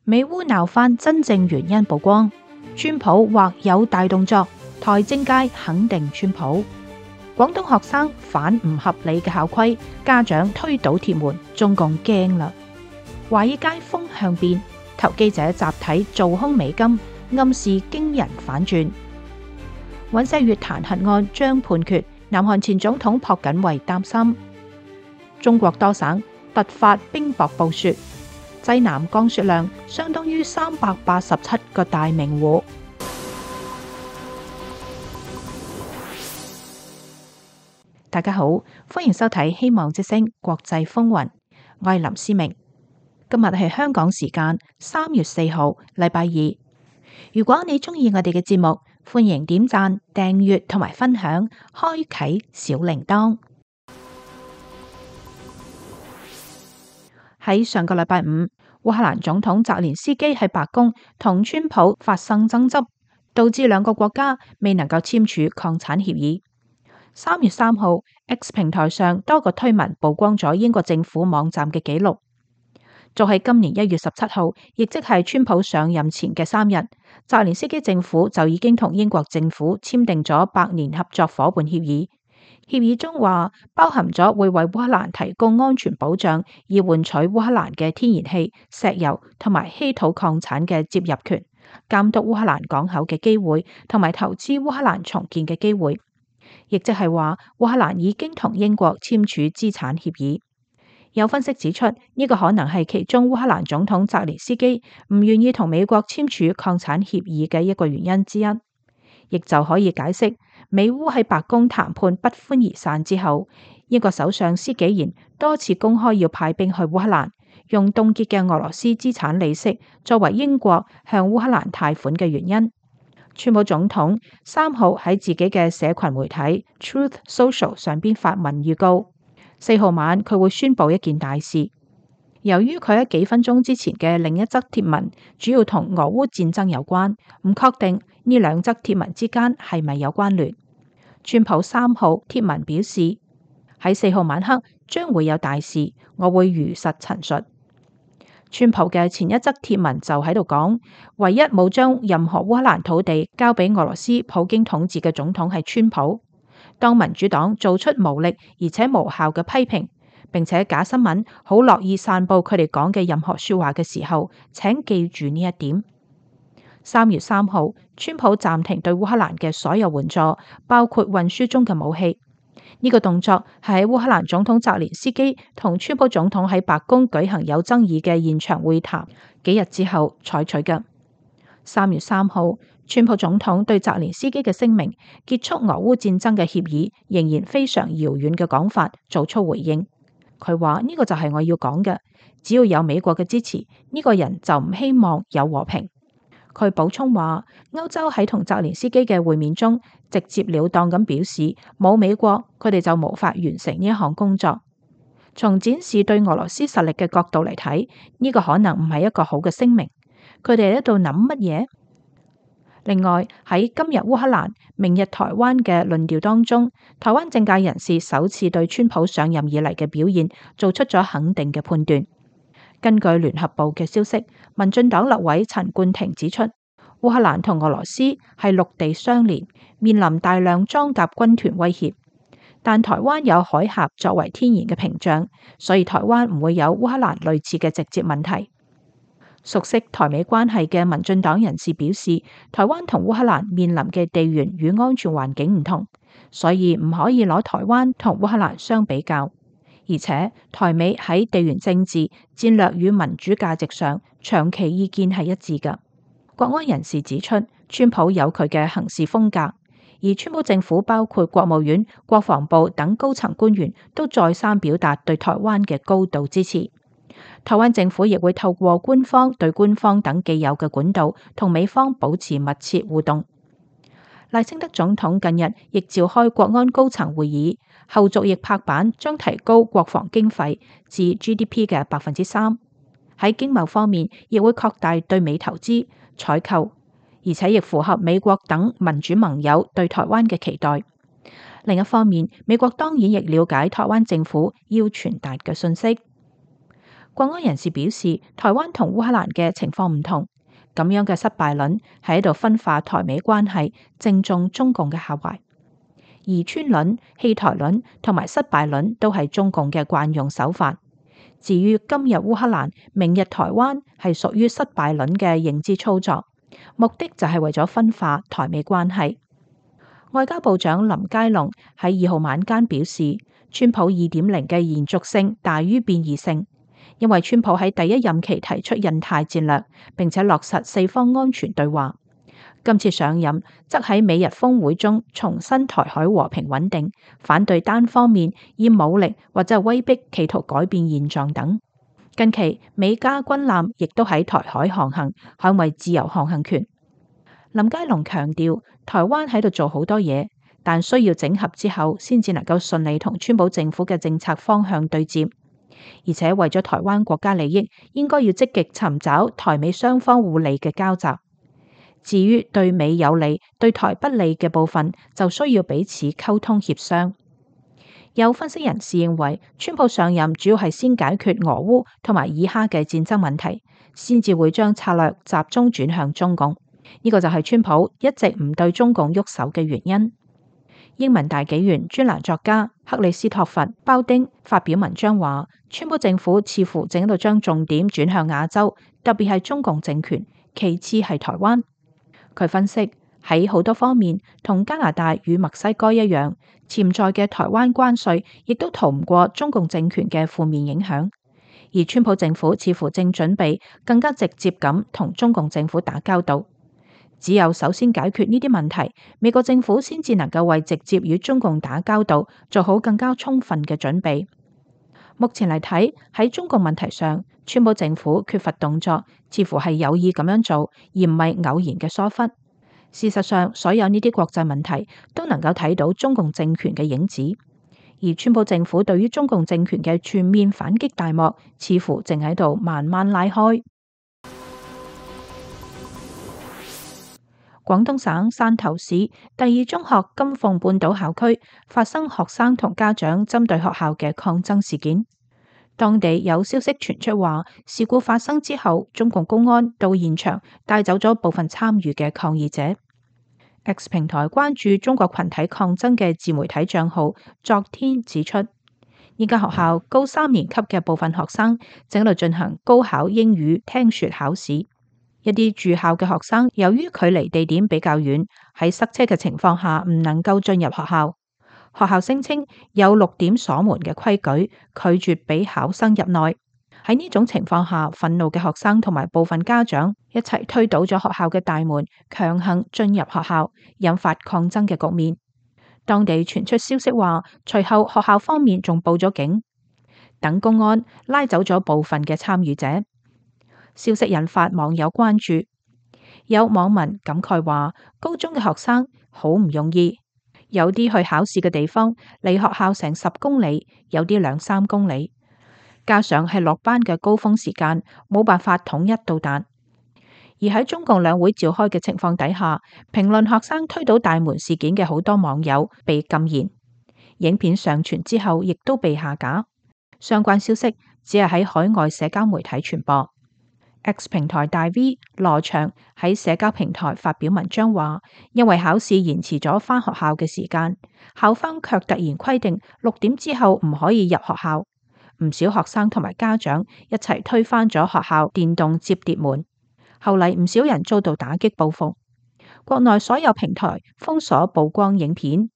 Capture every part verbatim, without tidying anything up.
美烏鬧翻真正原因曝光，川普或有大動作，台政界肯定川普。廣東學生反唔合理嘅校規，家長推倒鐵門，中共驚啦。華爾街風向變，投機者集體做空美金，暗示驚人反轉。尹錫悅彈劾案將判決，南韓前總統朴槿惠擔心。中國多省突發冰雹暴雪，濟南降雪量相當於三百八十七個大明湖。大家好，歡迎收睇《希望之聲》國際風雲，我係林思明。今日係香港時間三月四號，禮拜二。如果你鍾意我哋嘅節目，歡迎點讚、訂閱同埋分享，開啟小鈴鐺。喺上個禮拜五，烏克蘭總統澤連斯基喺白宮同川普發生爭執，導致兩個國家未能夠簽署礦產協議。三月三號 ，X 平台上多個推文曝光咗英國政府網站嘅記錄。就喺今年一月十七號，亦即係川普上任前嘅三日，澤連斯基政府就已經同英國政府簽訂咗百年合作夥伴協議。協議中話，包含咗會為烏克蘭提供安全保障，以換取烏克蘭嘅天然氣、石油同埋稀土礦產嘅接入權，監督烏克蘭港口嘅機會，同埋投資烏克蘭重建嘅機會。亦即係話，烏克蘭已經同英國簽署資產協議。有分析指出，呢個可能係其中烏克蘭總統澤連斯基唔願意同美國簽署礦產協議嘅一個原因之一，亦就可以解釋美烏喺白宮談判不歡而散之後，英國首相施紀賢多次公開要派兵去烏克蘭，用凍結嘅俄羅斯資產利息作為英國向烏克蘭貸款嘅原因。川普總統三號喺自己嘅社群媒體 Truth Social 上邊發文預告，四號晚佢會宣布一件大事。由於佢喺幾分鐘之前嘅另一則貼文主要同俄烏戰爭有關，唔確定呢兩則貼文之間係咪有關聯。川普三號貼文表示，喺四號晚黑將會有大事，我會如實陳述。川普嘅前一則貼文就喺度講，唯一冇將任何烏克蘭土地交俾俄羅斯普京統治嘅總統係川普。當民主黨做出無力而且無效嘅批評，並且假新聞好樂意散布佢哋講嘅任何說話嘅時候，請記住呢一點。三月三號，川普暫停對烏克蘭嘅所有援助，包括運輸中嘅武器。呢個動作係喺烏克蘭總統澤連斯基同川普總統喺白宮舉行有爭議嘅現場會談幾日之後採取嘅。三月三號，川普總統對澤連斯基嘅聲明結束俄烏戰爭嘅協議仍然非常遙遠嘅講法做出回應。佢話呢個就係我要講嘅，只要有美國嘅支持，呢個人就唔希望有和平。佢補充話，歐洲喺同澤連斯基嘅會面中直接了當咁表示，冇美國佢哋就無法完成呢一項工作。從展示對俄羅斯實力嘅角度嚟睇，呢個可能唔係一個好嘅聲明。佢哋喺度諗乜嘢？另外喺今日烏克蘭、明日台灣嘅論調當中，台灣政界人士首次對川普上任以嚟嘅表現做出咗肯定嘅判斷。根據聯合報嘅消息，民進黨立委陳冠廷指出，烏克蘭同俄羅斯係陸地相連，面臨大量裝甲軍團威脅，但台灣有海峽作為天然嘅屏障，所以台灣唔會有烏克蘭類似嘅直接問題。熟悉台美關係嘅民進黨人士表示，台灣同烏克蘭面臨嘅地緣與安全環境唔同，所以唔可以攞台灣同烏克蘭相比較。而且台美喺地緣政治、戰略與民主價值上長期意見係一致嘅。國安人士指出，川普有佢嘅行事風格，而川普政府包括國務院、國防部等高層官員都再三表達對台灣嘅高度支持。台灣政府亦會透過官方對官方等既有嘅管道，同美方保持密切互動。賴清德總統近日亦召開國安高層會議，後續亦拍板將提高國防經費至 G D P 嘅百分之三。喺經貿方面，亦會擴大對美投資採購，而且亦符合美國等民主盟友對台灣嘅期待。另一方面，美國當然亦了解台灣政府要傳達嘅訊息。國安人士表示，台灣同烏克蘭嘅情況唔同，咁樣嘅失敗論係喺度分化台美關係，正中中共嘅下懷。疑川論、棄台論同埋失敗論都係中共嘅慣用手法。至於今日烏克蘭、明日台灣係屬於失敗論嘅認知操作，目的就係為咗分化台美關係。外交部長林佳龍喺二號晚間表示，川普二點零嘅延續性大於變異性，因為川普喺第一任期提出印太戰略，並且落實四方安全對話。今次上任則喺美日峰會中重申台海和平穩定，反對單方面以武力或者威逼企圖改變現狀等。近期美加軍艦亦都喺台海航行，捍衛自由航行權。林佳龍強調，台灣喺度做好多嘢，但需要整合之後先至能夠順利同川普政府嘅政策方向對接，而且為咗台灣國家利益，應該要積極尋找台美雙方互利嘅交集。至於對美有利、對台不利嘅部分，就需要彼此溝通協商。有分析人士認為，川普上任主要係先解決俄烏同埋以哈嘅戰爭問題，先至會將策略集中轉向中共。呢、這個就係川普一直唔對中共喐手嘅原因。英文大紀元專欄作家克里斯托弗鮑丁發表文章話，川普政府似乎正喺度將重點轉向亞洲，特別係中共政權，其次係台灣。佢分析，喺好多方面，同加拿大與墨西哥一樣，潛在嘅台灣關稅亦都逃唔過中共政權嘅負面影響。而川普政府似乎正準備更加直接咁同中共政府打交道。只有首先解決呢啲問題，美國政府先至能夠為直接與中共打交道做好更加充分嘅準備。目前嚟睇，喺中共問題上，川普政府缺乏動作，似乎係有意咁樣做，而唔係偶然嘅疏忽。事實上，所有呢啲國際問題都能夠睇到中共政權嘅影子，而川普政府對於中共政權嘅全面反擊大幕，似乎正喺度慢慢拉開。廣東省汕頭市第二中學金鳳半島校區發生學生同家長針對學校嘅抗爭事件。當地有消息傳出話，事故發生之後，中共公安到現場帶走咗部分參與嘅抗議者。X 平台關注中國群體抗爭嘅自媒體賬號昨天指出，呢間學校高三年級嘅部分學生正喺度進行高考英語聽說考試。一啲住校嘅學生由於距離地點比較遠，喺塞車嘅情況下唔能夠進入學校。學校聲稱有六點鎖門嘅規矩，拒絕俾考生入內。喺呢種情況下，憤怒嘅學生同埋部分家長一齊推倒咗學校嘅大門，強行進入學校，引發抗爭嘅局面。當地傳出消息話，隨後學校方面仲報咗警，等公安拉走咗部分嘅參與者。消息引發網友關注，有網民感慨話，高中嘅學生好唔容易，有啲去考試嘅地方離學校成十公里，有啲兩三公里，加上係落班嘅高峰時間，冇辦法統一到達。而喺中共兩會召開嘅情況底下，評論學生推倒大門事件嘅好多網友被禁言，影片上傳之後亦都被下架。相關消息只係喺海外社交媒體傳播。X 平台大 V 羅翔喺社交平台發表文章話，因為考試延遲咗返學校嘅時間，校方卻突然規定六點之後唔可以入學校，唔少學生同埋家長一齊推翻咗學校電動摺疊門。後嚟唔少人遭到打擊報復，國內所有平台封鎖曝光影片。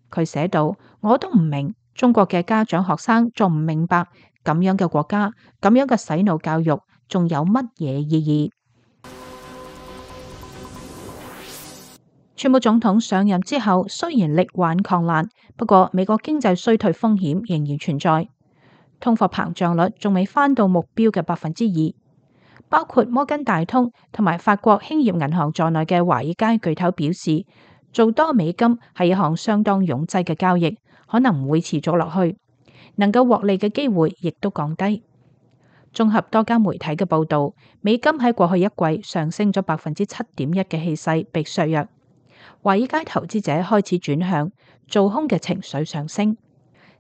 佢寫道：我都唔明，中國嘅家長學生仲唔明白咁樣嘅國家，咁樣嘅洗腦教育仲有乜嘢意義？川普總統上任之後，雖然力挽狂瀾，不過美國經濟衰退風險仍然存在，通貨膨脹率仲未返到目標嘅百分之二。包括摩根大通同埋法國興業銀行在內嘅華爾街巨頭表示，做多美金係一項相當擁擠嘅交易，可能唔會持續落去，能夠獲利嘅機會亦都降低。綜合多家媒體嘅報道，美金喺過去一季上升咗百分之七點一嘅氣勢被削弱，華爾街投資者開始轉向做空嘅情緒上升。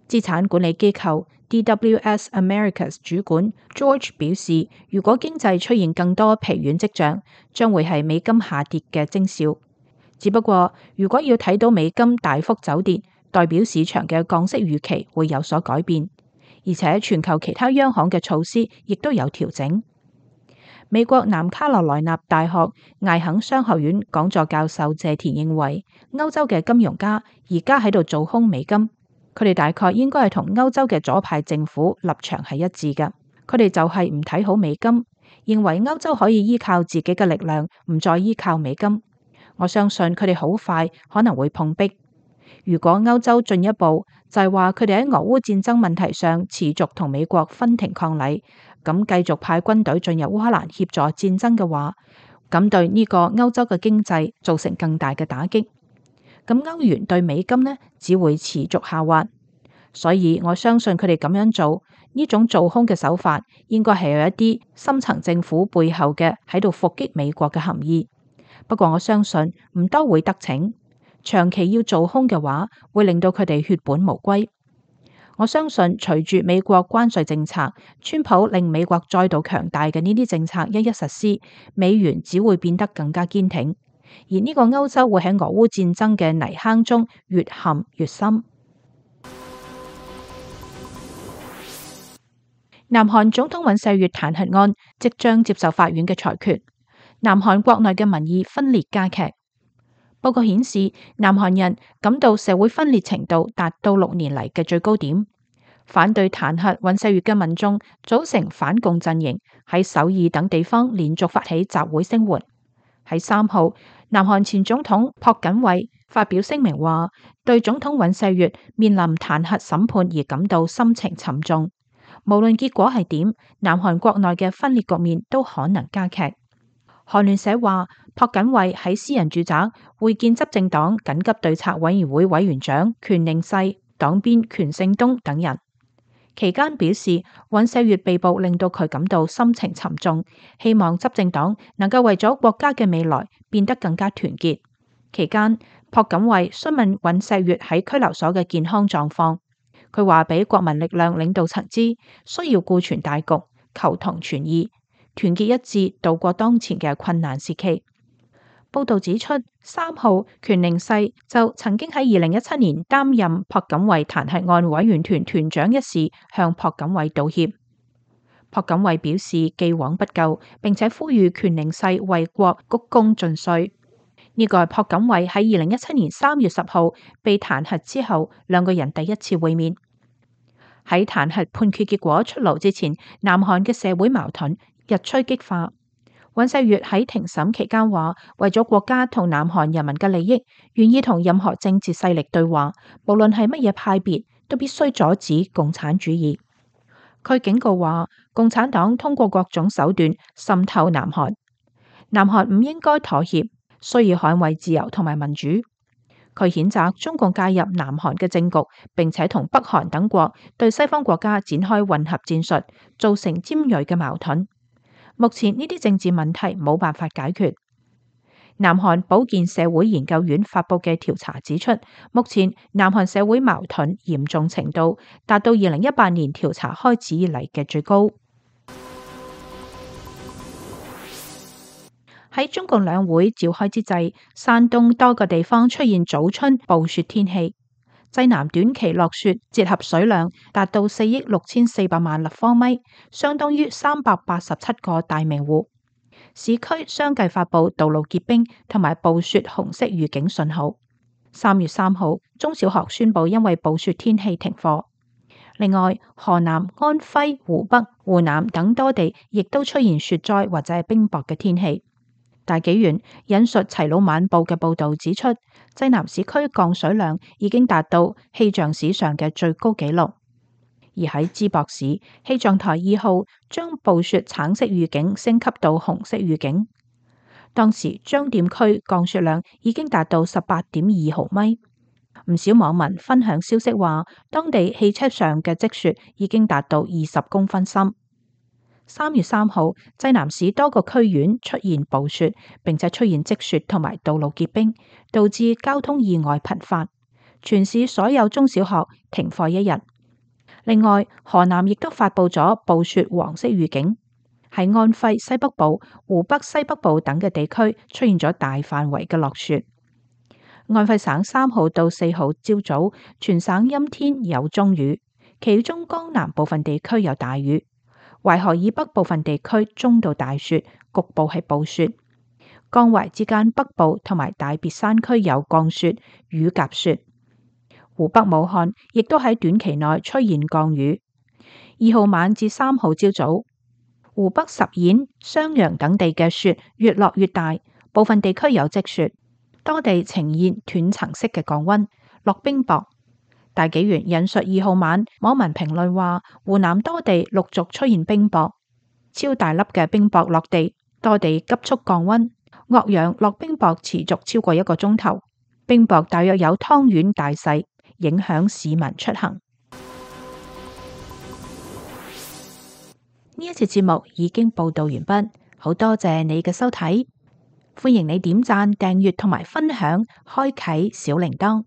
資產管理機構 D W S Americas 主管 George 表示，如果經濟出現更多疲軟跡象，將會係美金下跌嘅徵兆。只不過，如果要睇到美金大幅走跌，代表市場嘅降息預期會有所改變，而且全球其他央行嘅措施亦都有調整。美國南卡羅來納大學艾肯商學院講座教授謝田認為，歐洲嘅金融家而家喺度做空美金，佢哋大概應該係同歐洲嘅左派政府立場係一致嘅。佢哋就係唔睇好美金，認為歐洲可以依靠自己嘅力量，唔再依靠美金。我相信佢哋好快可能會碰壁。如果歐洲進一步就係話佢哋喺俄烏戰爭問題上持續同美國分庭抗禮，咁繼續派軍隊進入烏克蘭協助戰爭嘅話，咁對呢個歐洲嘅經濟造成更大嘅打擊。咁歐元對美金呢，只會持續下滑。所以我相信佢哋咁樣做呢種做空嘅手法，應該係有一啲深層政府背後嘅喺度伏擊美國嘅含義。不過我相信唔多會得逞。長期要做空嘅話，會令到佢哋血本無歸。我相信隨住美國關稅政策，川普令美國再度強大嘅呢啲政策一一實施，美元只會變得更加堅挺，而呢個歐洲會喺俄烏戰爭嘅泥坑中越陷越深。南韓總統尹錫悅彈劾案即將接受法院嘅裁決，南韓國內嘅民意分裂加劇。報告顯示，南韓人感到社會分裂程度達到六年嚟嘅最高點。反對彈劾尹錫悅嘅民眾組成反共陣營，喺首爾等地方連續發起集會聲援。喺三號，南韓前總統朴槿惠發表聲明話，對總統尹錫悅面臨彈劾審判而感到心情沉重。無論結果係點，南韓國內嘅分裂局面都可能加劇。韓聯社話，朴槿惠喺私人住宅會見執政黨緊急對策委員會委員長權寧世、黨鞭權勝東等人。期間表示，尹錫悅被捕令到佢感到心情沉重，希望執政黨能夠為咗國家嘅未來變得更加團結。期間，朴槿惠詢問尹錫悅喺拘留所嘅健康狀況，佢話俾國民力量領導層知，需要顧全大局，求同存異，團結一致度過當前嘅困難時期。報道指出，三號權寧世就曾經喺二零一七年擔任朴槿惠彈劾案委員團團長一事，向朴槿惠道歉。朴槿惠表示既往不咎，並且呼籲權寧世為國鞠躬盡瘁。呢個係朴槿惠喺二零一七年三月十號被彈劾之後，兩個人第一次會面。喺彈劾判決結果出爐之前，南韓嘅社會矛盾日趨激化。尹錫悅喺庭審期間話，為咗國家同南韓人民嘅利益，願意同任何政治勢力對話，無論係乜嘢派別，都必須阻止共產主義。佢警告話，共產黨通過各種手段滲透南韓，南韓唔應該妥協，需要捍衛自由同埋民主。佢譴責中共介入南韓嘅政局，並且同北韓等國對西方國家展開混合戰術，造成尖銳嘅矛盾。目前呢啲政治問題冇辦法解決。南韓保健社會研究院發佈嘅調查指出，目前南韓社會矛盾嚴重程度達到二零一八年調查開始以嚟嘅最高。喺中共兩會召開之際，山東多個地方出現早春暴雪天氣。濟南短期落雪折合水量達到四億六千四百萬立方米，相當於三百八十七個大明湖。市區相繼發布道路結冰同埋暴雪紅色預警信號。三月三號，中小學宣布因為暴雪天氣停課。另外，河南、安徽、湖北、湖南等多地亦都出現雪災或者係冰雹嘅天氣。大紀元引述齊魯晚報嘅報道指出，濟南市區降水量已經達到氣象史上嘅最高紀錄。而喺淄博市，氣象台二號將暴雪橙色預警升級到紅色預警。當時張店區降雪量已經達到十八點二毫米。唔少網民分享消息話，當地汽車上嘅積雪已經達到二十公分深。三月三號，濟南市多個區縣出現暴雪，並且出現積雪同埋道路結冰，導致交通意外頻發。全市所有中小學停課一日，另外，河南亦都發布咗暴雪黃色預警，喺安徽西北部、湖北西北部等嘅地區出現咗大範圍嘅落雪。安徽省三號到四號朝早，全省陰天有中雨，其中江南部分地區有大雨，淮河以北部分地區中到大雪，局部係暴雪。江淮之間北部同埋大別山區有降雪、雨夾雪。湖北武漢亦都喺短期內出現降雨。二號晚至三號朝早，湖北十堰、襄陽等地嘅雪越落越大，部分地區有積雪，多地呈現斷層式嘅降溫，落冰雹。大紀元引述二號晚網民評論話，湖南多地陸續出現冰雹，超大粒嘅冰雹落地，多地急速降溫。岳陽落冰雹持續超過一個鐘頭，冰雹大約有湯圓大細，影響市民出行。呢一次節目已經報道完畢，好多謝你嘅收睇，歡迎你點讚、訂閱同埋分享，開啟小鈴鐺。